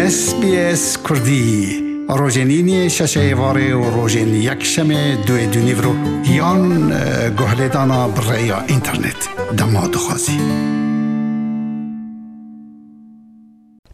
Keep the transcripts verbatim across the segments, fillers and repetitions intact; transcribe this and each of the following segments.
S B S Kurdî, rojên îniyê şeşê êvarê û rojên yekşemê duê dûnîvro yan, e, guhlêdana bi rêya înternet. Dema dixwazî.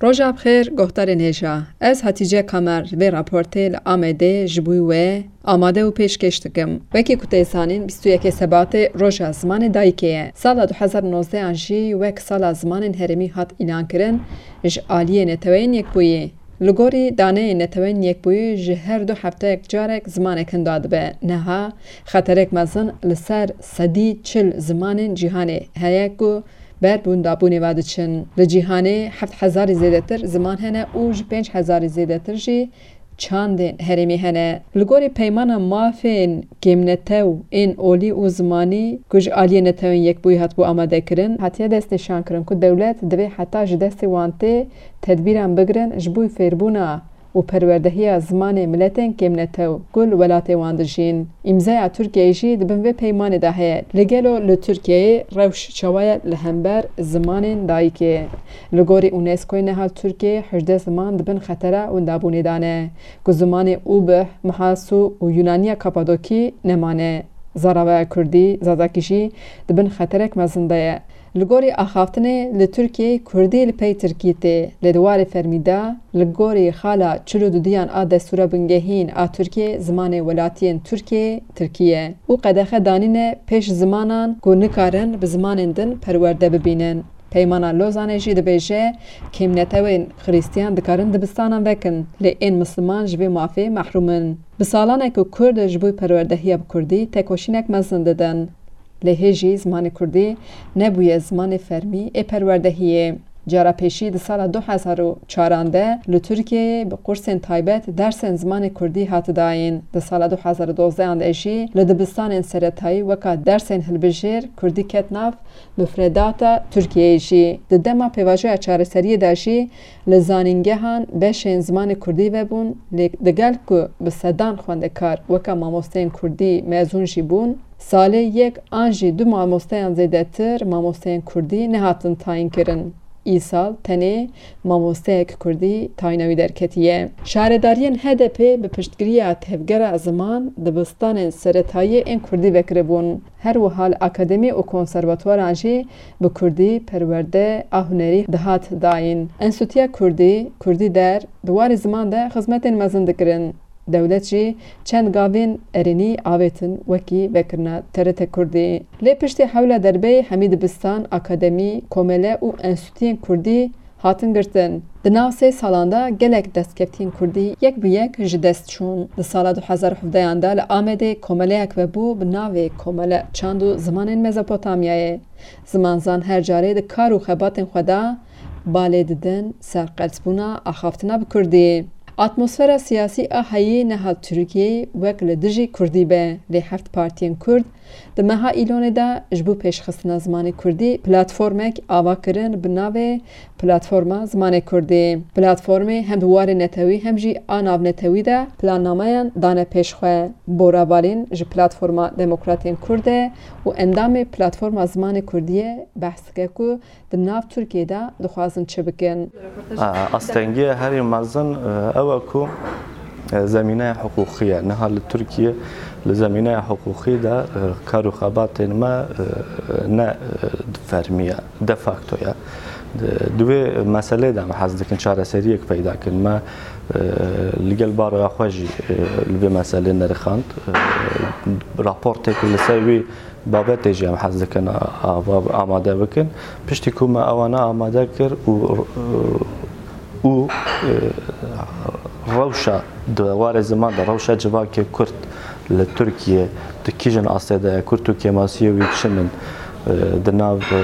Roja bi xêr, guhdarên hêja. Ez Hatice Kamer, vê raportê li Amedê ji bo we amade û pêşkêş dikim. Wekî ku tê zanîn, bîst û yekê Sebatê Roja Zimanê Dayikê ye. Sala du hezar û nozdeh an jî wek Sala Zimanên Herêmî hat îlankirin ji aliyê Neteweyên Yekbûyî. Li gorî daneyên Neteweyên Yekbûyî ji her du hefteyek carek zimanek hinda dibe. Niha xeterek mezin li ser sedî çil zimanên cîhanê heye ku ber windabûnê ve diçin. Li cîhanê heft hezarî zêdetir ziman hene û ji pênc hezarî zêdetir jî çandên herêmî hene. Li gorî Peymana Mafên Kêmnetew ên Olî û Zimanî ku ji aliyê Netewên Yekbûyî hatibû amadekirin, hatiye destnîşankirin ku dewlet divê heta ji destê wan tê tedbîran bigirin ji bo fêrbûna û perwerdehiya zimanê miletên kêmnetew ku li welatê wan dijîn. Îmzaya Tirkiyeyê jî di bin vê peymanê de heye. Lê gelo li Tirkiyeyê rewş çawa ye li hember zimanên dayikê? Li gorî UNESCOyê niha li Tirkiyeyê hejdeh ziman di bin xetera windabûnê de ne, ku zimanê Ubih, Mihasu û Yunaniya Kapadokî nemane. Zaravaya Kurdî, Zazakî jî di bin xeterek mezin de ye. Li gorî axaftinê li Tirkiyeyê Kurdî li pey Tirkî tê, lê di warê fermî de li gorî xala çil û dudiyan a Destûra Bingehîn a Tirkiyê zimanê welatiyên Tirkiyê Tirkî ye û qedexe danîne pêş zimanan ku nikarin bi zimanên din perwerde bibînin. Peymana Lozanê jî dibêje, kêmnetewên Xirîstiyan dikarin dibistanan vekin, lê ên Misliman ji vê mafê mehrûm in. Bi salan e ku Kurd ji bo perwerdehiya bi Kurdî tekoşînek mezin didin. Lê hê jî zimanê Kurdî nebûye zimanê fermî ê perwerdehiyê. Cara pêşî di sala du hezar û çaran de li Tirkiyeyê bi qursên taybet dersên zimanê Kurdî hat dayîn. Di sala du hezar û dozdehan de jî li dibistanên seretayî weka dersên hilbijêr Kurdî ket nav mifredata Tirkiyeyê jî. Di dema pêvajoya çareseriyê de jî li zanîngehan beşên zimanê Kurdî vebûn, lê digel ku bi sedan xwendekar weka mamosteyên Kurdî mezûn jî bûn, salê yek an jî du mamosteyan zêdetir mamosteyên Kurdî nehatin tayînkirin. Îsal tenê mamosteyek Kurdî tayîna wî derketiye. Şaredariyên H D P bi piştgiriya Tevgera Ziman dibistanên seretayî ên Kurdî vekiribûn. Her wiha li akademî û konservatuwaran jî bi Kurdî perwerde a hunerî dihat dayîn. Enstîtuya Kurdî, Kurdî Der, di warê ziman de xizmetên mezin dikirin. Dewlet jî çend gavên erênî avêtin, wekî vekirina T R T Kurdî. Lê piştî hewla derbeyê hemî dibistan, akademî, komele û enstîtuyên Kurdî hatin girtin. Di nav sê salan de gelek destkeftiyên Kurdî yek bi yek ji dest çûn. Di sala du hezar û hevdehan de li Amedê komeleyek vebû bi navê Komele Çand û Zimanên Mezopotamyayê. Zimanzan her carê di kar û xebatên xwe de balê didin serqeltbûna axaftina bi Kurdî. Atmosfera siyasî a heyî niha Tirkiyeyê wek li dijî Kurdî be, lê heft partiyên Kurd di meha Îlonê de ji bo pêşxistina zimanê Kurdî platformek ava kirin bi navê Platforma Zimanê Kurdî. Platformê hem di warê netewî hem jî a navnetewî de plannameyan dane pêş xwe. Bora Balîn ji Platforma Demokratên Kurd e û endamê Platforma Zimanê Kurdî ye, behs dike ku di nav Tirkiyê de dixwazin çi bikin. A, astengiya herî mezin, e, ew e ku, e, zemîneya hiqûqî ye. Niha li Tirkiye, li zemîneya hiqûqî de, e, kar û xebatên me, e, ne, e, fermî ye, de facto ye. Di, di wê meselê de em hez dikin çareseriyek peyda kin. Me, e, li gel baroya xwe jî, e, li vê meselê nerixand. E, raportêk li ser wî babetê jî em hez dikin a-, ava amade bikin. Piştî ku me ewana amade kir û, û, e, rewşa di warê ziman de, rewşa civakê Kurd li Tirkiye di kîjin astê de ye, Kurd û kêmasiyê wî çi ne, e, di nav, e,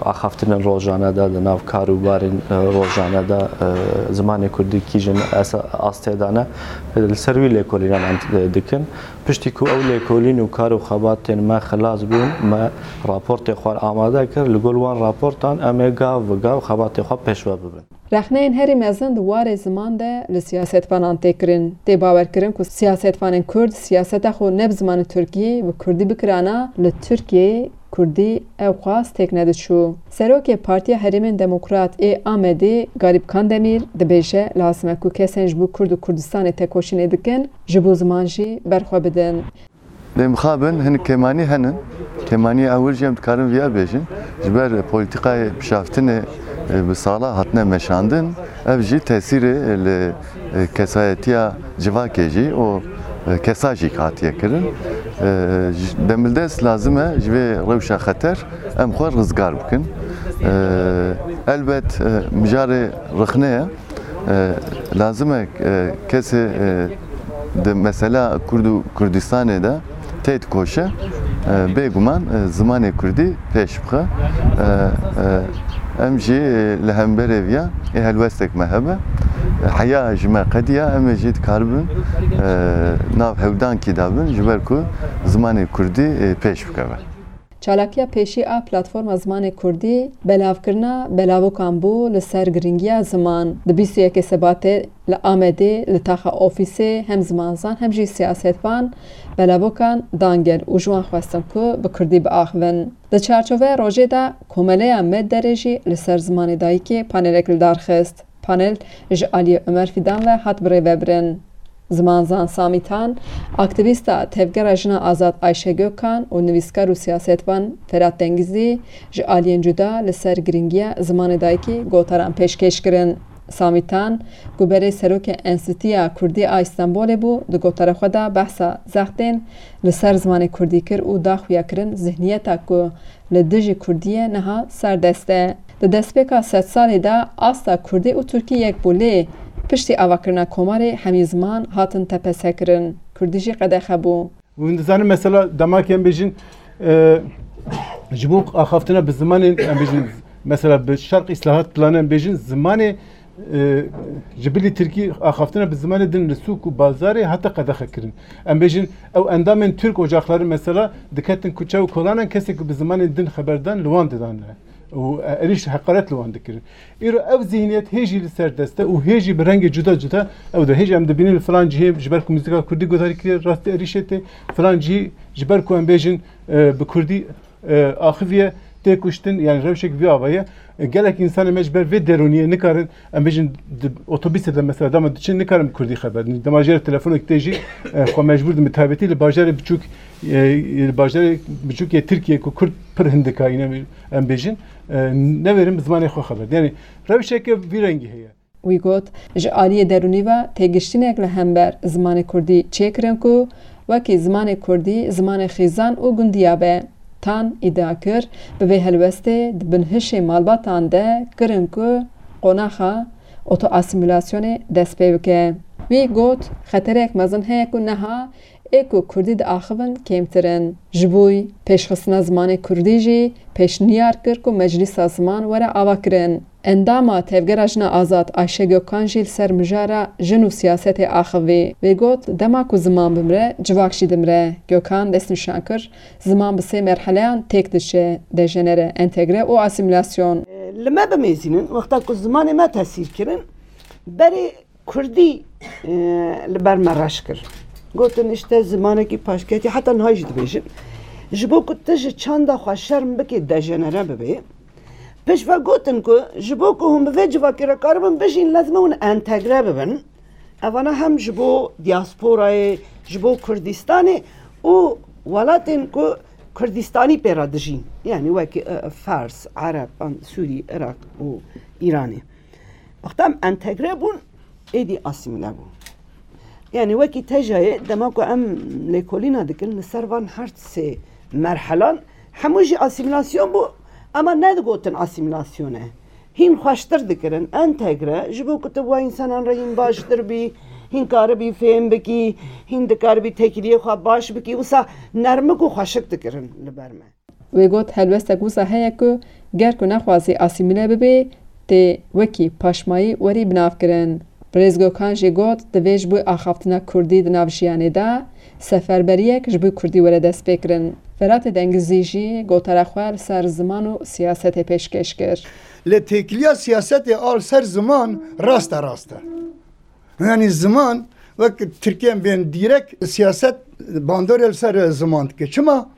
axaftinên rojane de, di nav kar û barên, e, rojane de, e, zimanê Kurdî kîjin esa-, astê de ne, e, li ser wî lêkolînan em, e, dikin. Piştî ku ew lêkolîn û kar û xebatên me xilas bûn, me raportê xwe amade kir. Li gor wan raportan em ê gav bi gav xebatê xwe pêşve bibin. Rexneyên herî mezin di warê ziman de li siyasetvanan tê kirin. Tê bawerkirin ku siyasetvanên Kurd siyaseta xwe ne bi zimanê Tirkî, bi Kurdî bikirana, li Tirkiyeyê Kurdî ew xwaz têk nediçû. Serokê Partiya Herêmên Demokrat ê Amedê Garîb Kandemîr dibêje, lazim e ku kesên ji bo Kurd û Kurdistanê tekoşînê dikin, ji bo ziman jî berxwe bidin. Lê mixabin hin kêmanî henin. Kêmanî ewil jî em dikarin viya bêjin. Ji ber polîtîkayê bişaftinê, e, bi sala hatine meşandin, ev jî tesîrê li, e, kesayetiya civakê jî û, e, kesa jî hatiye kirin. E, ji, demildest lazim e ji vê rewşa xeter em xwe rizgar bikin. E, elbet, e, mijarê rixne ye. E, lazim e, e, kesê, e, di mesela Kurd û Kurdistanê de tê dikoşe, e, bêguman, e, zimanê Kurdî pêş bixe. E, e, em jî, e, li hemberê viya ê helwestek me hebe. E, heya ji me qediya, em ê jî dikaribin, e, nav hewdankî dabin, ji ber ku zimanê Kurdî, e, pêş bikeve. Çalakiya pêşî a Platforma Zimanê Kurdî belavkirina belavokan bû li ser girîngiya ziman. Di bîst û yekê Sebatê li Amedê li taxa ofîsê hem zimanzan hem jî siyasetvan belavokan dan gel û ji wan xwestin ku bi kurdî biaxivin. Di çarçoveya rojê de Komeleya Medderê jî li ser zimanê dayikê panelek li dar xist. Panel ji aliyê Omer Fîdan ve hat birêvebirin. Zimanzan Samî Tan, aktîvîsta Tevgera Jina Azad Ayşe Gökhan û nivîskar û siyasetvan Ferhat Dengizî ji aliyên cuda li ser girîngiya zimanê dayikî gotaran pêşkêş kirin. Samî Tan, ku berê serokê Enstîtuya Kurdî a Îstenbolê bû, di gotara xwe de behsa zextên li ser zimanê kurdî kir û da xuyakirin zihniyeta ku li dijî kurdiyê niha serdest e. Di destpêka sedsalê de asta kurdî û tirkî yek bû, lê piştî avakirina Komarê hemî ziman hatin tepesekirin. Kurdî jî qedexe bû. Hûn dizanin mesela dema ku em bêjin, e, ji bo axaftina bi zimanên, em bêjin, mesela bi Şerq Îslahat Planı em bêjin, zimanê, e, ji bilî tirkî axaftina bi zimanê din li sûk û bazarê hate qedexe kirin. Em bêjin, ew endamên Türk Ocakları mesela diketin kuçe û kolanan, kesê ku bi zimanên din xeber dan li wan didan. Û, e, êrîş heqaret li wan dikirin. Îro ev zihniyet hê jî li ser dest e û hê jî bi rengê cuda cuda ew de. Hê jî em dibînin li filan cihê ji ber ku muzîka kurdî guhdarî kiriye, rastî êrîşê tê, filan cihî ji ber ku em bêjin, e, bi kurdî, e, axiviye, tê kuştin, yani rewşek vî ava ye. E, gelek însanê me ji ber vê derûniyê nikarin, em bêjin di otobîsê de mesela dema diçin nikarin bi kurdî xeber din. Dema jê re telefonek tê jî, e, xwe mecbûr din bi taybetî li bajarê biçûk, e, li bajarê biçûk yê Tirkiyê ku kurd pir hindik a, yine em bêjin, e, newêrin bi zimanê xwe xeber. Yani rewşeke vî rengî heye. Wî got, ji aliyê derûnî ve têgiştînek li hember zimanê kurdî çêkirin ku wekî zimanê kurdî zimanê xîzan û gundiya be. Tan îdia kir, bi vê helwestê di binhişê malbatan de kirin ku qonaxa otoasîmîlasyonê dest pê bike. Wî got, xeterek mezin heye ku niha ê ku kurdî diaxivin kêmtir in. Ji bo pêşxistina zimanê kurdî jî pêşniyar kir ku Meclîsa Ziman were avakirin. Endama Tevgera Jina Azad Ayşe Gökhan jî li ser mijara jin û siyasetê axivî. Wê got, dema ku ziman bimire, civak jî dimire. Gökhan destnîşan kir, ziman bi sê merheleyan têk diçe, dejenere, entegre û asîmîlasyon. Li me bimêzînin, wexta ku zimanê me tesîr kirin, berê Kurdî, e, li ber me reş kir. Gotin, işte, zimanekî paşketî, heta niha jî dibêjin. Ji bo ku tu ji çanda xwe şerm bikî, dejenere bibê. Pişt ve gotin ku ji bo ku hûn bi vê civakî re karibin bijîn, lezim e hûn entegre bibin. Evana hem ji bo diasporayê, ji bo Kurdistanê û welatên ku Kurdistanî pê re dijîn. Yani wekî, e, Fars, Ereb, an Sûrî, Iraq û Îranê. Wexta em entegre bûn, êdî asîmîle bû. Yani wekî tejayê dema ku em lêkolîna dikin li ser van her sê merhelan, hemû jî asîmîlasyon bû, ama nedigotin asîmîlasyon e. Hîn xweştir dikirin, entegre, ji bo ku tu bi wa însanan re hîn baştir bî, hîn karibî fêm bikî, hîn dikaribî têkiliyê xwe baş bikî, wisa nermik û xweşik dikirin li ber me. Wê got, helwestek wisa heye ku ger ku nexwazî asîmîle bibê, tê wekî paşmayî werî binavkirin. Birêz Gökhan jî got, divê ji bo axaftina kurdî di nav jiyanê de seferberiyek ji bo kurdî were destpêkirin. Feratê Dengizî jî gotara xwe li ser ziman û siyasetê pêşkêş kir. Lê têkiliya siyasetê a li ser ziman raste rast e. Yani ziman, wek Tirkiye bên dîrek siyaset bandorê li ser ziman dike. Çima?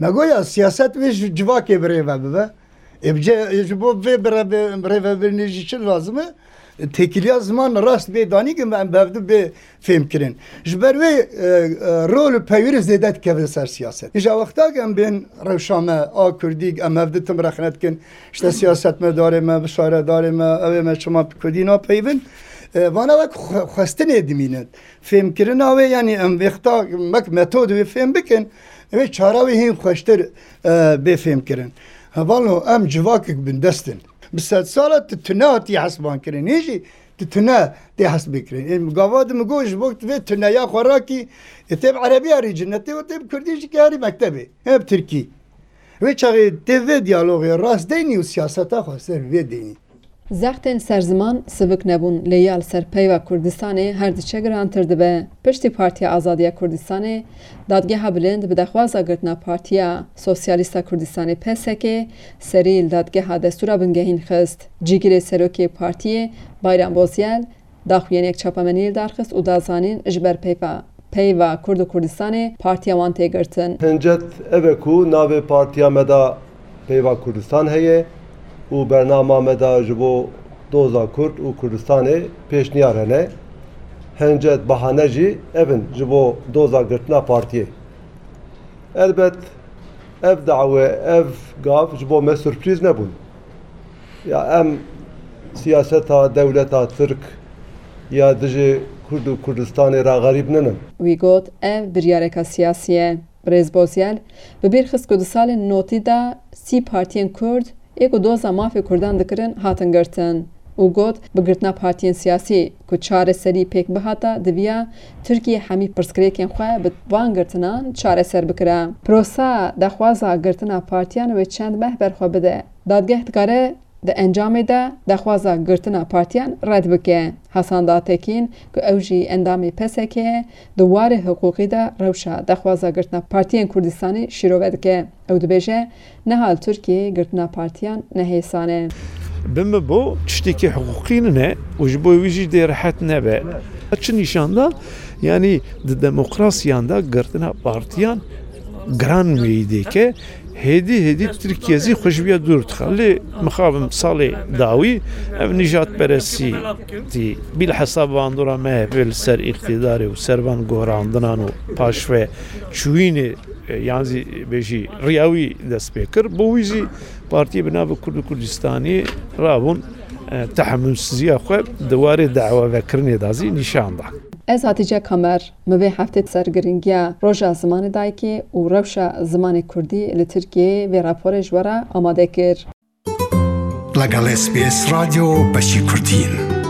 Me goya siyaset wê ji civakê bi rê ve bibe. Ê, bi ce-, ji bo vê bi rê-, bi rêvebirinê jî çi lazim e? Têkiliya ziman rast bê danî, em bi hevdu bê fêmkirin. Ji ber wê, e, e, rol û peywirî zêde dikeve ser siyaset. Îja wexta ke em bên rewşa me a kurdî, em hevdu tim rexne dikin, işte siyasetmedarê me, bişaredarê me, ew ê me çima bi kurdî napeyivin, e, vana wek xwe-, xwestinê dimînin. Fêmkirina wê, yanî em wexta wek metod wê fêm bikin, wê çara wê hîn xweştir, e, bê fêmkirin. Hevalno, em civakek bindest in. Bi sedsala tu tune hatî hesban kirin. Hê jî tu tune tê hesbê kirin. Ê, gava di min got, ji bo tu vê tuneya xwe rakî, ê tê bi erebiya rî cinetê û tê bi kurdî jî kê herî mektebê. Hê bi tirkî. Wê çaxê tê vê diyalogê rast deynî û siyaseta xwe ser vê deynî. Zextên ser ziman sivik nebûn, lê ya li ser peyva Kurdistanê her diçe girantir dibe. Piştî Partiya Azadiya Kurdistanê, Dadgeha Bilind bi daxwaza girtina Partiya Sosyalîsta Kurdistanê, P S K, serî li dadgeha destûra bingehîn xist. Cîgirê serokê partiyê, Bayram Bozyel, daxuyaniyek çapemeniyê li dar xist û da zanîn, ji ber peyva, peyva Kurd û Kurdistanê partiya wan tê girtin. Hincet ev e ku navê partiya me de Peyva Kurdistan heye û bernama me de ji bo doza Kurd û Kurdistanê pêşniyar hene. Hincet bahane jî ev in ji bo doza girtina partiyê. Elbet ev dawe, ev gav ji bo me surprîz nebûn. Ya em siyaseta dewleta Tirk ya dijî Kurd û Kurdistanê re xerîb ninin. Wî got, ev biryareka siyasî ye. Birêz Bozyel bi bîr xist ku di salên notî de sî partiyên Kurd ê ku doza mafê Kurdan dikirin, hatin girtin û got, bi girtina partiyên siyasî ku çareserî pêk bihata, diviya Tirkiye hemî pirsgirêkên xwe bi van girtinan çareser bikira. Prosa daxwaza girtina partiyan wê çend meh ber xwe bide. Dadgeh dikare di encamê de daxwaza girtina partiyan red bike. Hasan Datekîn ku ew jî endamê P S K ye, di warê hiqûqî de rewşa daxwaza girtina partiyên Kurdistanê şîrove dike. Ew dibêje, niha li Tirkiyeyê girtina partiyan ne hêsan e. Bi min bo tiştekî hiqûqî nine û ji bo wî jî dê rehet nebe. Çi nîşan da? Yanî di demokrasiyan de girtina partiyan giran meyî dike. Hêdî hêdî Tirkiye zî xwe ji vê dûr dixe. Lê mixabin salê dawî ev nîjadperestî tî. Bilhesa bandora M H P li ser îqtîdarê û ser van gorandinan û paşve çûyînê, e, yan zî bêjî riya wî dest pê kir. Bo wî zî partiyê bi navê Kurd û Kurdistanî rabûn, e, tehemûlsiziya xwe di warê dawavekirinê de zî nîşan da. Ez Hatice Kamer, min vê heftê ser giringiya Roja Zimanê Dayikê û rewşa zimanê kurdî li Tirkiyeyê vê raporê ji we re amade kir. لەگەڵ S B S رادیۆ بەشی کوردین.